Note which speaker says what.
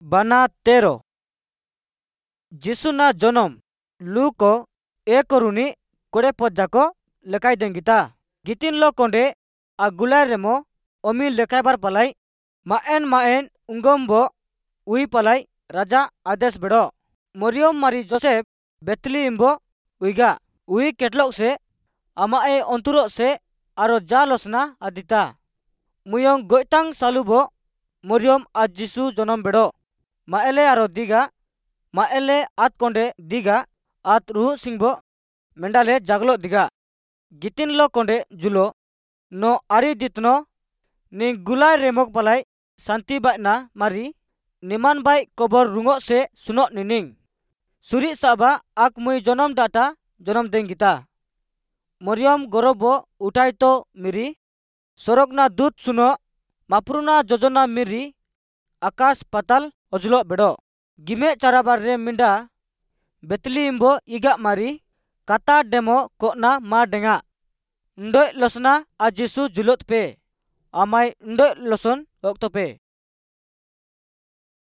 Speaker 1: ବାନା 13 ଯୀଶୁନା ଜନମ ଲୁକ 1 ରୁନି 20 ପଦ ଯାକ ଲେଖାଇ ଦେଙ୍ଗିତା। ଗିତିନଲ କଣ୍ଡେ ଆ ଗୁଲାଇ ରେମ ଅମି ଲେଖାଇବାର ପାলাই ମାଏନ୍ ମାଏନ୍ ଉଙ୍ଗମ୍ବ ଉଇ ପାলাই ରାଜା ଆଦେଶ ବେଡ଼। ମରିୟମ ମାରି ଯୋସେଫ ବେଥଲିହିମ୍ବ ଉଇଗା ଉଇ କେଟଲକ ସେ ଆମାଏ ଅନ୍ତୁର ସେ ଆरो जा लसना आदिता। मुयंग गोइतांग सालुबो मरियम आ जीसु जनम बेड़ो। माएले आरो दिगा माएले आत कोंडे दिगा आत रुहु सिंगबो मेंडाले जागलो दिगा। गितिनलो कोंडे जुलो नो आरी दितनो नि गुलाय रेमक पालाई शांति बायना मारी निमान बाई कबर रुंगो से सुनो निनिंग। सुरी साबा आक मुई जनम डाटा जनम देंगिता। मरियम गौरव उठाई तो मिरी सड़कना दूत सुनो माप्रुना जोजना मिरी आकाश पाताल अजलो बेड़ो। गिमे चाराबार रे मिंडा बेतलीम्बो इगा मारी काता डेमो कोना मा डेंगा। उंडोय लसना आ जीसु जुलोत पे आमाय उंडोय लसन ओक्तो पे।